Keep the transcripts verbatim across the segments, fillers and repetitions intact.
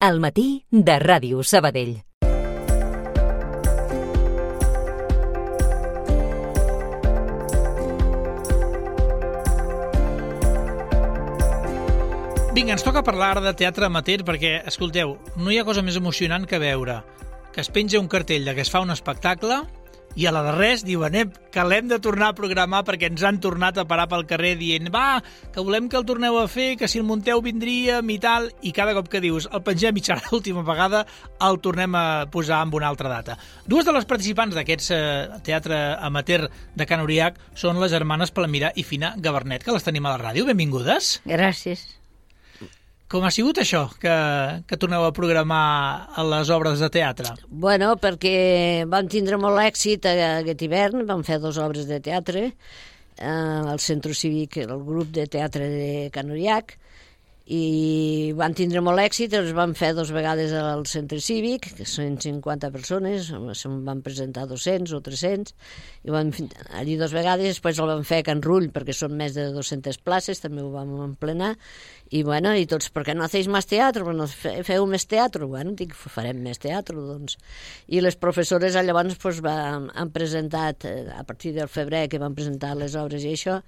Al matí de Ràdio Sabadell. Vinga, ens toca parlar de teatre amateur perquè, escolteu, no hi ha cosa més emocionant que veure que es penja un cartell de que es fa un espectacle i a la de res diuen eh, que l'hem de tornar a programar perquè ens han tornat a parar pel carrer dient va, que volem que el torneu a fer, que si el munteu vindríem i tal, i cada cop que dius el pengem i serà l'última vegada el tornem a posar amb una altra data. Dues de les participants d'aquest eh, teatre amateur de Can Uriach són les germanes Palmira i Fina Gabarnet, que les tenim a la ràdio. Benvingudes. Gràcies. Com ha sigut això, que, que torneu a programar les obres de teatre? Bueno, perquè vam tindre molt èxit aquest hivern, vam fer dues obres de teatre eh, al Centre Cívic, el grup de teatre de Can Uriach, i van tindre molt èxit, els vam fer dues vegades al Centre Cívic, que són cinquanta persones, se'n van presentar dos-cents o tres-cents, i vam allí dues vegades, després el vam fer a Can Rull, perquè són més de dues-centes places, també ho vam emplenar, i bueno, i tots, per què no hacéis més teatre? No feu més teatre? Bueno, dic, farem més teatre, doncs. I les professores llavors pues, van, han presentat, a partir del febrer que van presentar les obres i això,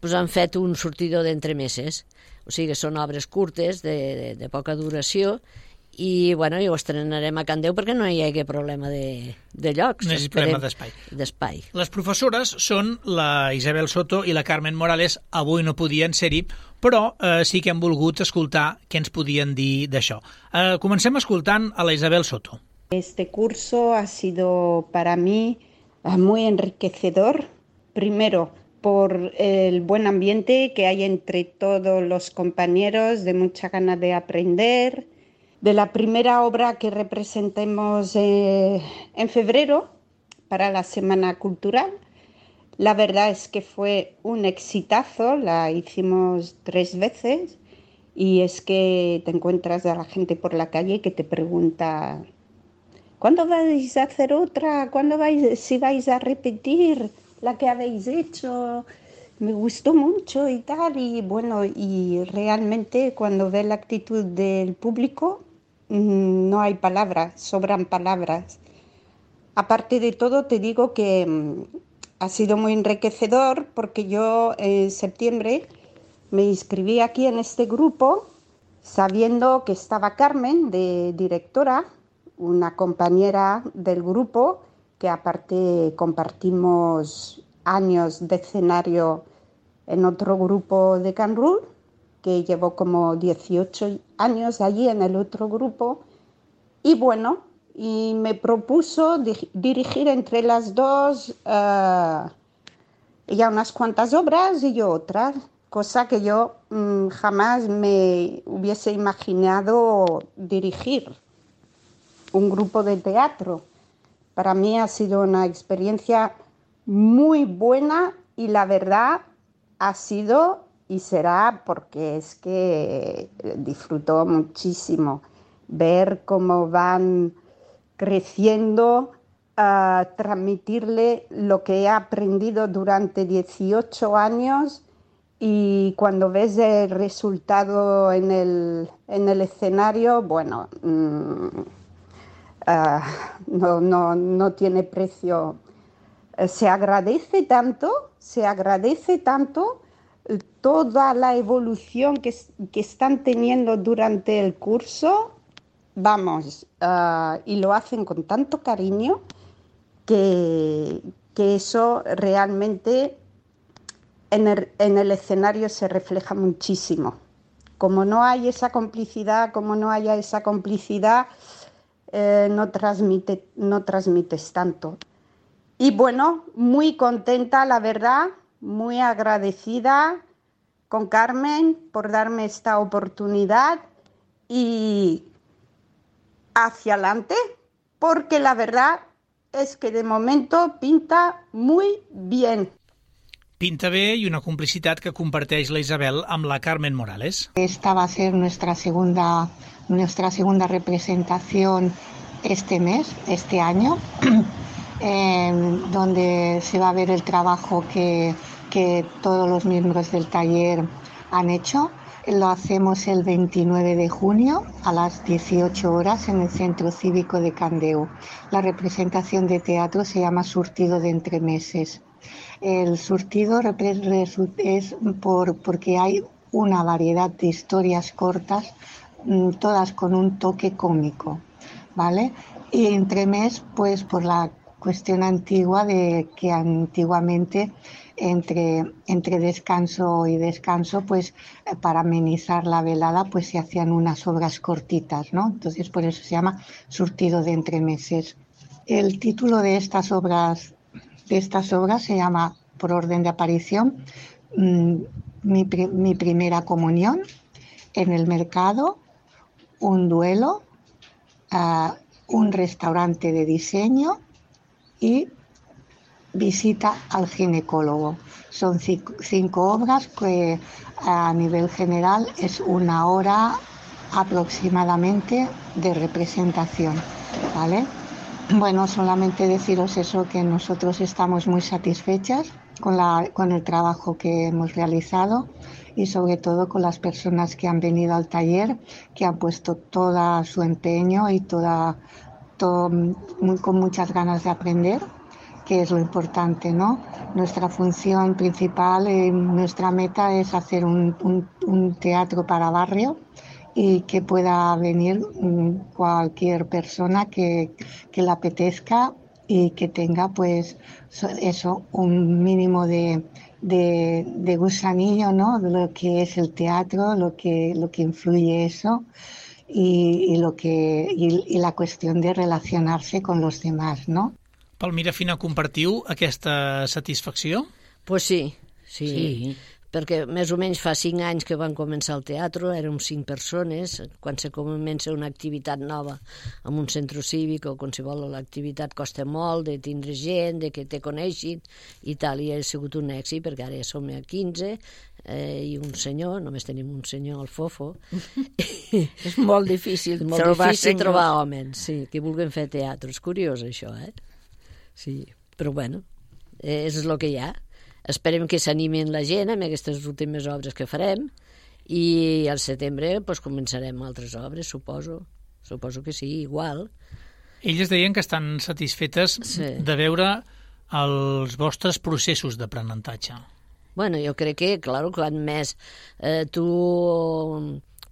pues, han fet un sortidor d'entremeses. O sigui, són obres curtes, de, de, de poca duració, i bueno, i ho estrenarem a Can Déu perquè no hi hagi problema de, de llocs. No hi hagi problema d'espai. D'espai. Les professores són la Isabel Soto i la Carmen Morales. Avui no podien ser-hi, però eh, sí que hem volgut escoltar què ens podien dir d'això. Eh, comencem escoltant a la Isabel Soto. Este curso ha sido para mí muy enriquecedor. Primero, por el buen ambiente que hay entre todos los compañeros, de mucha ganas de aprender. De la primera obra que representemos eh, en febrero para la Semana Cultural. La verdad es que fue un exitazo, la hicimos tres veces y es que te encuentras a la gente por la calle que te pregunta ¿cuándo vais a hacer otra? ¿Cuándo vais, si vais a repetir la que habéis hecho? Me gustó mucho y tal, y bueno, y realmente cuando ves la actitud del público no hay palabras, sobran palabras. Aparte de todo, te digo que um, ha sido muy enriquecedor porque yo en septiembre me inscribí aquí en este grupo sabiendo que estaba Carmen, de directora, una compañera del grupo que aparte compartimos años de escenario en otro grupo de Can Rull, que llevó como dieciocho años allí en el otro grupo, y bueno, y me propuso di- dirigir entre las dos uh, ella unas cuantas obras y yo otras, cosa que yo um, jamás me hubiese imaginado dirigir un grupo de teatro. Para mí ha sido una experiencia muy buena y la verdad ha sido y será porque es que disfruto muchísimo ver cómo van creciendo, uh, transmitirle lo que he aprendido durante dieciocho años y cuando ves el resultado en el, en el escenario, bueno, mmm, uh, no, no, no tiene precio. Uh, se agradece tanto, se agradece tanto toda la evolución que, que están teniendo durante el curso, vamos, uh, y lo hacen con tanto cariño que, que eso realmente en el, en el escenario se refleja muchísimo. Como no hay esa complicidad, como no haya esa complicidad, eh, no, transmite, no transmites tanto. Y bueno, muy contenta, la verdad, muy agradecida con Carmen por darme esta oportunidad y hacia adelante, porque la verdad es que de momento pinta muy bien. Pinta bé i una complicitat que comparteix la Isabel amb la Carmen Morales. Esta va a ser nuestra segunda, nuestra segunda representación este mes, este año, eh, donde se va a ver el trabajo que, que todos los miembros del taller han hecho. Lo hacemos el veintinueve de junio a las dieciocho horas en el Centro Cívico de Candeu. La representación de teatro se llama Surtido de Entremeses. El surtido es por, porque hay una variedad de historias cortas, todas con un toque cómico, ¿vale? Y entremés, pues por la cuestión antigua de que antiguamente entre, entre descanso y descanso, pues para amenizar la velada, pues se hacían unas obras cortitas, ¿no? Entonces por eso se llama Surtido de Entremeses. El título de estas obras, de estas obras se llama, por orden de aparición, Mi, mi primera comunión, En el mercado, Un duelo, uh, Un restaurante de diseño y Visita al ginecólogo. Son cinco, cinco obras que a nivel general es una hora aproximadamente de representación, ¿vale? Bueno, solamente deciros eso, que nosotros estamos muy satisfechas con, la, con el trabajo que hemos realizado y sobre todo con las personas que han venido al taller, que han puesto todo su empeño y toda, todo, muy, con muchas ganas de aprender, que es lo importante, ¿no? Nuestra función principal, eh, nuestra meta es hacer un, un, un teatro para barrio y que pueda venir cualquier persona que, que le apetezca y que tenga, pues, eso, un mínimo de, de, de gusanillo, ¿no? De lo que es el teatro, lo que, lo que influye eso y, y, lo que, y, y la cuestión de relacionarse con los demás, ¿no? Palmira Fina, compartiu aquesta satisfacció? Pues sí, sí, Sí. perquè més o menys fa cinc anys que van començar el teatre, érem cinc persones, quan se comença una activitat nova en un centre cívic o qualsevol l'activitat costa molt de tindre gent, de que te coneixin i tal, i ha sigut un èxit perquè ara ja som a quinze eh, i un senyor, només tenim un senyor, el Fofo. És molt difícil molt trobar difícil senyors. trobar homes, sí, que vulguin fer teatre. És curiós això, eh? Sí, però bueno, és el que hi ha. Esperem que s'animin la gent amb aquestes últimes obres que farem i al setembre pues, començarem altres obres, suposo. Suposo que sí, igual. Elles deien que estan satisfetes Sí. de veure els vostres processos d'aprenentatge. Bueno, jo crec que, clar, quan més eh, tu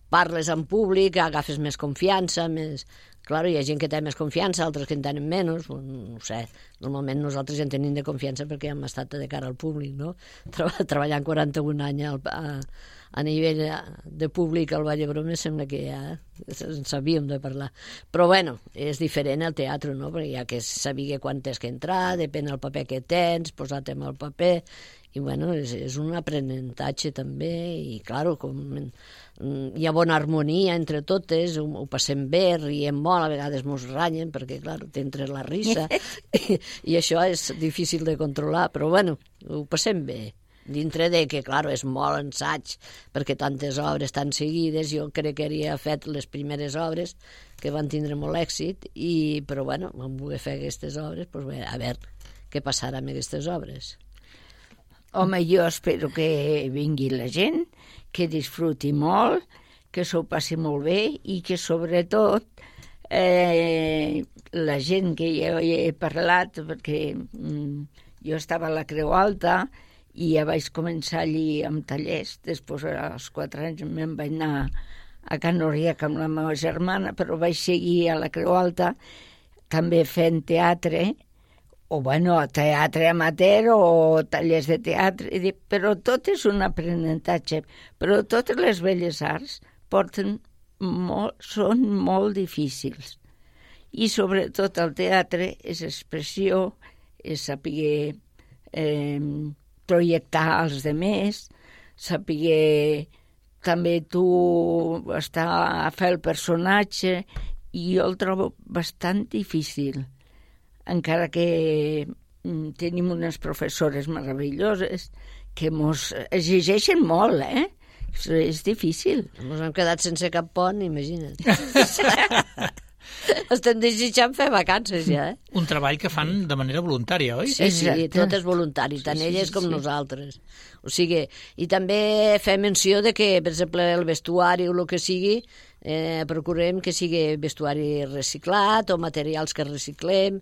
parles en públic, agafes més confiança, més... Clar, hi ha gent que té més confiança, altres que en tenen menys, no ho sé. Normalment nosaltres ja en tenim de confiança perquè hem estat de cara al públic, no? Treballant quaranta-un anys al, a, a nivell de públic al Vall d'Hebron, sembla que ja en sabíem de parlar. Però, bueno, és diferent el teatre, no? Perquè hi ha que saber quan tens que entrar, depèn del paper que tens, posar-te amb el paper, i, bueno, és, és un aprenentatge també, i, clar, com... hi ha bona harmonia entre totes, ho, ho passem bé, riem molt, a vegades mos ranyen perquè, clar, t'entra la risa i, i això és difícil de controlar, però bueno, ho passem bé. Dintre de que, clar, és molt ensaig perquè tantes obres tan seguides, jo crec que havia fet les primeres obres que van tindre molt èxit, i, però bueno, vam voler fer aquestes obres, doncs bé, a veure què passarà amb aquestes obres. Home, jo espero que vingui la gent, que disfruti molt, que s'ho passi molt bé i que, sobretot, eh, la gent que jo he parlat, perquè mm, jo estava a la Creu Alta i ja vaig començar allí amb tallers, després als quatre anys me'n vaig anar a Can Oriac amb la meva germana, però vaig seguir a la Creu Alta també fent teatre, o bueno, teatre amateur o tallers de teatre, però tot és un aprenentatge, però totes les belles arts porten molt, són molt difícils. I sobretot el teatre és expressió, és saber eh, projectar els demés, saber també tu estar a fer el personatge, i jo el trobo bastant difícil. Encara que mm, tenim unes professores meravelloses que mos exigeixen molt, eh? És difícil. Ens hem quedat sense cap pont, imagina't. estem desitjant fer vacances ja, eh? Un treball que fan de manera voluntària, oi? Sí, sí, tot és voluntari, tant sí, elles sí, com sí. nosaltres. O sigui, i també fem menció de que, per exemple, el vestuari o el que sigui, eh, procurem que sigui vestuari reciclat o materials que reciclem.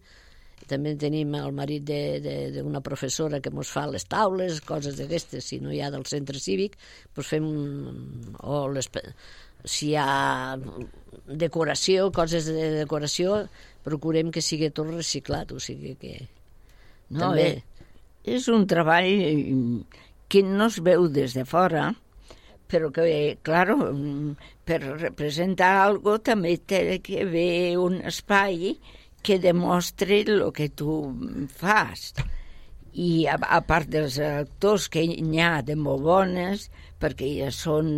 També tenim el marit d'una professora que ens fa les taules, coses d'aquestes, si no hi ha del centre cívic, doncs fem... O les, si hi ha decoració, coses de decoració, procurem que sigui tot reciclat, o sigui que... No, també... eh, és un treball que no es veu des de fora, però que, claro, per representar algo també té que haver un espai que demostri el que tu fas. I a, a part dels actors que n'hi ha de molt bones, perquè ja són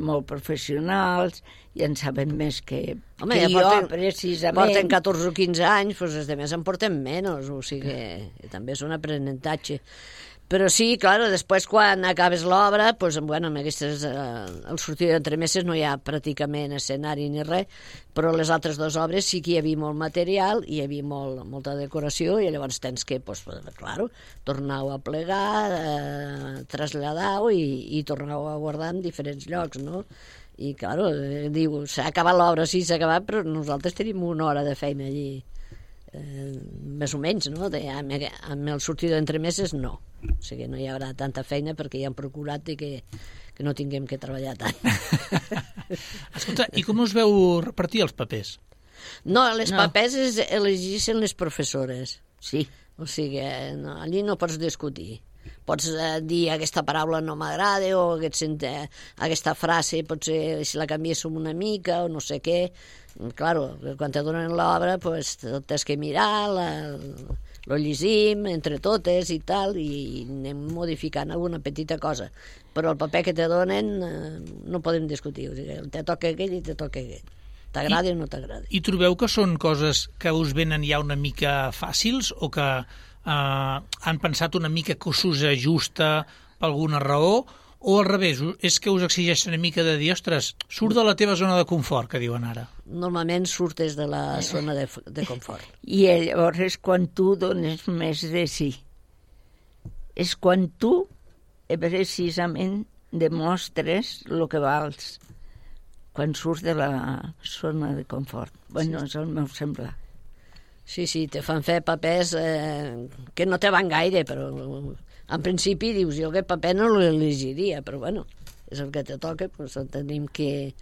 molt professionals i en saben més que, Home, que ja jo, porten, precisament. Porten catorze o quinze anys, doncs els altres en porten menys, o sigui que també és un aprenentatge. Però sí, clar, després quan acabes l'obra, doncs, bueno, amb aquestes, eh, el sortir d'entremeses no hi ha pràcticament escenari ni res, però les altres dues obres sí que hi havia molt material, hi havia molt, molta decoració, i llavors tens que, doncs, clar, tornar-ho a plegar, eh, traslladar-ho i, i tornar-ho a guardar en diferents llocs, no? I, clar, eh, diu, s'ha acabat l'obra, sí, s'ha acabat, però nosaltres tenim una hora de feina allí. Eh, més o menys, no? De, amb, amb el sortir d'entremeses no, o sigui, no hi haurà tanta feina perquè ja han procurat que, que no tinguem que treballar tant. Escolta, i com us veu repartir els papers? No, les No. papers es elegissin les professores, Sí. o sigui, no, allí no pots discutir. Pots eh, dir aquesta paraula no m'agrada o aquest, eh, aquesta frase potser si la canviéssim una mica o no sé què. Claro, quan te donen l'obra pues, tot has que mirar, la, lo llegim entre totes i tal, i anem modificant alguna petita cosa. Però el paper que te donen eh, no podem discutir, o sigui, te toca aquell i te toca aquell. T'agrada o no t'agrada. I trobeu que són coses que us venen ja una mica fàcils o que eh, han pensat una mica que us ajusta per alguna raó, o al revés, és que us exigeix una mica de dir, ostres, surt de la teva zona de confort, que diuen ara. Normalment surtes de la zona de, de confort. I llavors és quan tu dones més de si. És quan tu precisament demostres el que vals, quan surts de la zona de confort. Bueno, sí. És el meu semblar. Sí, sí, te fan fer papers eh, que no te van gaire, però en principi dius, jo aquest paper no l'elegiria, però bueno, és el que te toca, doncs tenim que,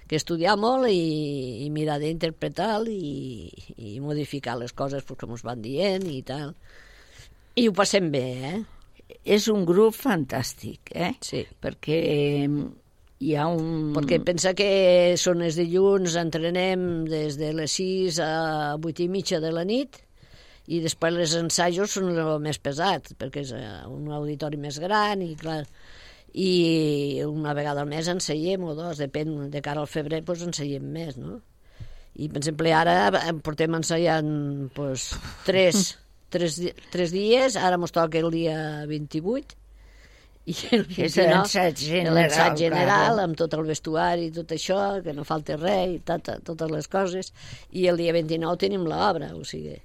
que estudiar molt i, i mirar d'interpretar i, i modificar les coses pues, com ens van dient i tal. I ho passem bé, eh? És un grup fantàstic, eh? Sí. Perquè hi ha un... Perquè pensa que són els dilluns, entrenem des de les sis a vuit i mitja de la nit, i després els ensajos són el més pesat, perquè és un auditori més gran i clar, i una vegada al mes enseiem o dos, depèn, de cara al febrer doncs enseiem més, no? I per exemple ara portem ensaiant doncs, tres, tres, tres dies, ara mos toca el dia vint-i-vuit, i el vint-i-nou, l'ensaig general, l'ensaig general claro. amb tot el vestuari i tot això, que no falti res i tot, totes les coses, i el dia vint-i-nou tenim l'obra, o sigui...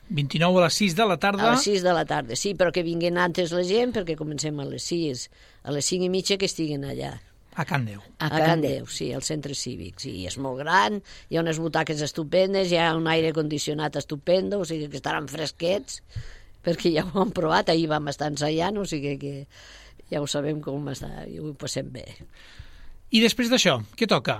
vint-i-nou a les sis de la tarda. A les sis de la tarda, sí, però que vinguin antes la gent, perquè comencem a les sis, a les cinc i mitja que estiguin allà. A Can Déu. A, a Can Déu, sí, al centre cívic, sí, és molt gran, hi ha unes butaques estupendes, hi ha un aire condicionat estupendo, o sigui que estaran fresquets, perquè ja ho hem provat, ahir vam estar ensaiant, o sigui que ja ho sabem com està, i ho passem bé. I després d'això, què toca?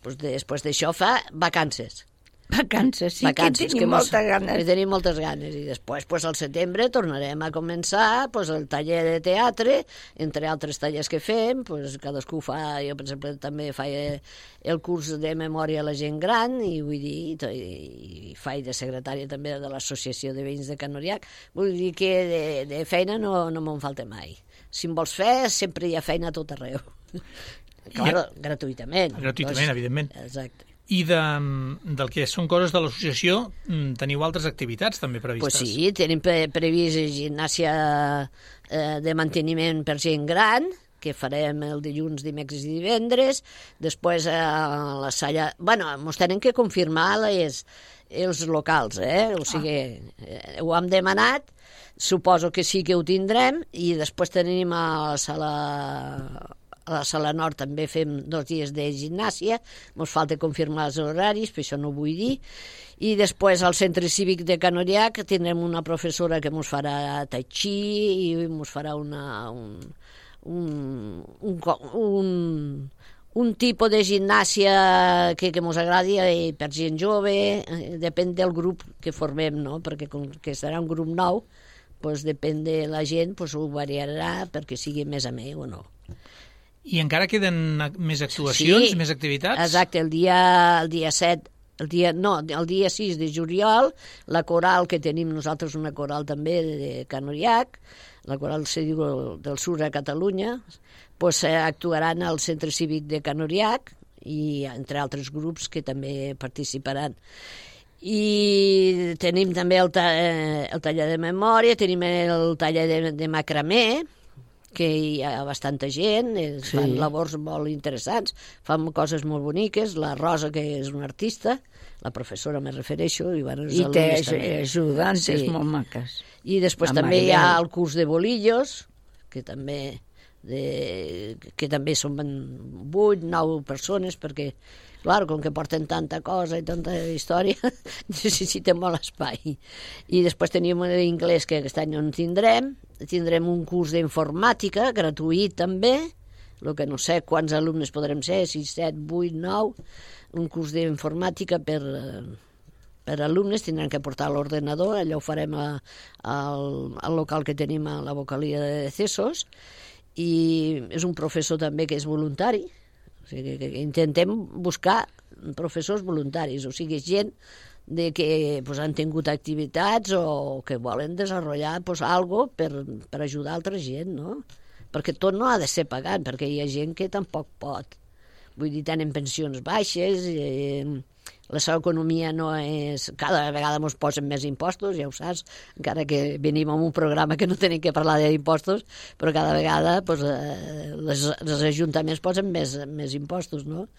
Pues després d'això fa vacances. Vacances, sí, Vacances, que tenim mos- moltes ganes. que tenim moltes ganes. I després, pues, al setembre, tornarem a començar pues, el taller de teatre, entre altres tallers que fem, pues, cadascú fa, jo, per exemple, també faig el curs de memòria a la gent gran, i vull dir, i, to- i faig de secretària també de l'Associació de Veïns de Can Oriac. Vull dir que de, de feina no, no me'n falta mai. Si em vols fer, sempre hi ha feina a tot arreu. Claro, gratuïtament. Gratuïtament, evidentment. Exacte. I de, del que són coses de l'associació, mm, teniu altres activitats també previstes? Pues sí, tenim pre previst gimnàsia eh, de manteniment per gent gran, que farem el dilluns, dimecres i divendres. Després a la sala... Bueno, ens tenen que confirmar les, els locals, eh? O sigui, eh, ho hem demanat, suposo que sí que ho tindrem, i després tenim a la sala... A la sala nord també fem dos dies de gimnàsia, ens falta confirmar els horaris, per això no ho vull dir. I després al centre cívic de Canoriac tindrem una professora que ens farà tai chi i ens farà una, un, un, un, un, un tipus de gimnàsia que, que ens agradi per gent jove, depèn del grup que formem, no? Perquè com que serà un grup nou, doncs depèn de la gent, doncs ho variarà perquè sigui més amè o no. I encara queden més actuacions, sí, més activitats? Exacte, el dia, el dia set, el dia, no, el dia sis de juliol, la coral que tenim nosaltres, una coral també de Canoriac, la coral del Sur a Catalunya, doncs actuaran al Centre Cívic de Canoriac i entre altres grups que també participaran. I tenim també el, ta el taller de memòria, tenim el taller de, de macramé, que hi ha bastanta gent, sí. Fan labors molt interessants, fan coses molt boniques, la Rosa, que és una artista, la professora me refereixo, i, bueno, I té ajudantes sí. molt maques. I després a també Mariel. Hi ha el curs de bolillos, que també, de, que també són vuit, nou persones, perquè, clar, com que porten tanta cosa i tanta història, necessitem molt espai. I després tenim l'inglès, que aquest any no en tindrem, tindrem un curs d'informàtica, gratuït també, el que no sé quants alumnes podrem ser, sis, set, vuit, nou, un curs d'informàtica per, per alumnes, tindran que portar l'ordenador, allò ho farem a, a, al local que tenim a la vocalia de Cessos, i és un professor també que és voluntari, o sigui que intentem buscar professors voluntaris, o sigui, gent de que pues, han tingut activitats o que volen desenvolupar pues, algo per, per ajudar altra gent, no? Perquè tot no ha de ser pagat, perquè hi ha gent que tampoc pot. Vull dir, tenen pensions baixes, eh, la seva economia no és... Cada vegada ens posen més impostos, ja ho saps, encara que venim en un programa que no tenim que parlar d'impostos, però cada vegada pues, eh, les, els ajuntaments posen més, més impostos, no?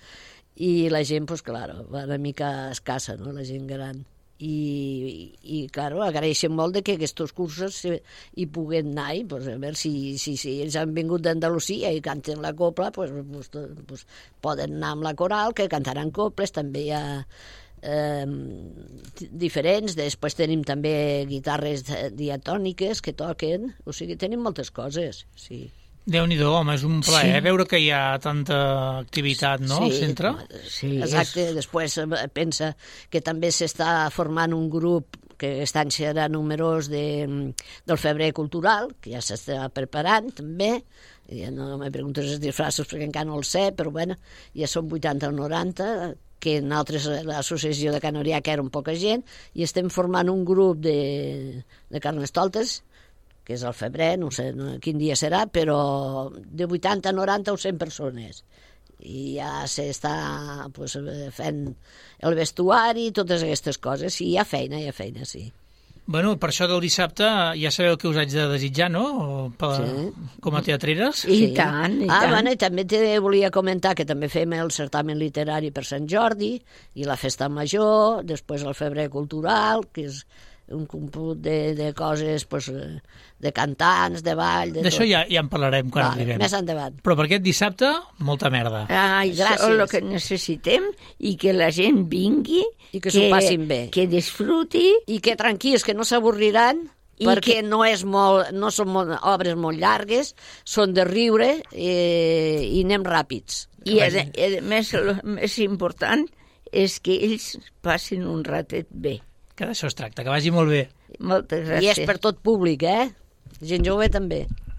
I la gent, pues, claro, va una mica escassa, no?, la gent gran. I, i claro, agraeixen molt de que aquests cursos hi puguen anar, i, pues, a veure si, si, si ells han vingut d'Andalusia i canten la copla, pues, pues, pues, poden anar amb la coral, que cantaran coples, també hi ha eh, diferents, després tenim també guitarres diatòniques que toquen, o sigui, tenim moltes coses, sí. Déu-n'hi-do, home, és un plaer sí. veure que hi ha tanta activitat, no?, sí, al centre. Sí, exacte. És... Després pensa que també s'està formant un grup que aquest any serà numerós de, del Febrer Cultural, que ja s'està preparant, també. Ja no me preguntes els disfraços perquè encara no el sé, però bueno, ja són vuitanta o noranta, que en altres, l'associació de Canoriac era un poca gent, i estem formant un grup de, de Carnestoltes, que és al febrer, no sé quin dia serà, però de vuitanta, noranta o cent persones. I ja s'està pues, fent el vestuari i totes aquestes coses. I hi ha feina, hi ha feina, sí. Bueno, per això del dissabte ja sabeu què us haig de desitjar, no? Per, sí. Com a teatreres. I sí. tant, i ah, tant. Bueno, i també te volia comentar que també fem el certamen literari per Sant Jordi i la festa major, després el Febrer Cultural, que és un comput de, de coses, pues, de cantants, de ball... D'això ja, ja en parlarem quan vale, arribem. Més endavant. Però per aquest dissabte, molta merda. Ai, gràcies. Això és el que necessitem, i que la gent vingui... I que s'ho passin bé. Que disfruti... I que tranquils, que no s'avorriran, perquè que... no, és molt, no són molt, obres molt llargues, són de riure eh, i anem ràpids. I a, a més, el més important és que ells passin un ratet bé. Que d'això es tracta, que vagi molt bé. Moltes gràcies. I és per tot públic, eh? Gent jove també.